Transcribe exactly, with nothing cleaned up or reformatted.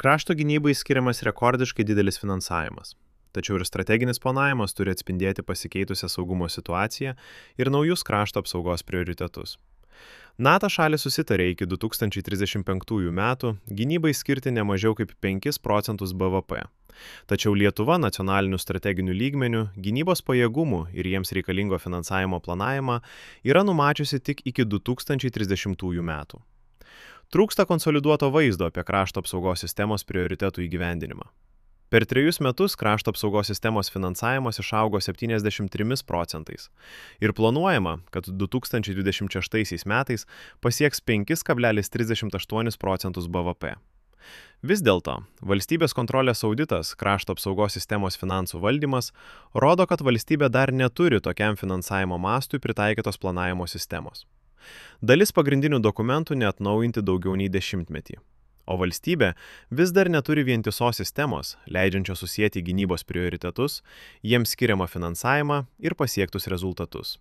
Krašto gynybai skiriamas rekordiškai didelis finansavimas. Tačiau ir strateginis planavimas turi atspindėti pasikeitusią saugumo situaciją ir naujus krašto apsaugos prioritetus. NATO šalys susitarė iki du tūkstančiai trisdešimt penktųjų metų gynybai skirti ne mažiau kaip penkis procentus B V P. Tačiau Lietuva nacionalinių strateginių lygmenių gynybos pajėgumų ir jiems reikalingo finansavimo planavimą yra numačiusi tik iki du tūkstančiai trisdešimtųjų metų. Trūksta konsoliduoto vaizdo apie krašto apsaugos sistemos prioritetų įgyvendinimą. Per trejus metus krašto apsaugos sistemos finansavimas išaugo septyniasdešimt trimis procentais ir planuojama, kad du tūkstančiai dvidešimt šeštaisiais metais pasieks penkis kablelis trisdešimt aštuonis procentus B V P. Vis dėlto, valstybės kontrolės auditas krašto apsaugos sistemos finansų valdymas rodo, kad valstybė dar neturi tokiam finansavimo mastui pritaikytos planavimo sistemos. Dalis pagrindinių dokumentų neatnaujinti daugiau nei dešimtmetį. O valstybė vis dar neturi vientisos sistemos, leidžiančios susijęti gynybos prioritetus, jiems skiriamą finansavimą ir pasiektus rezultatus.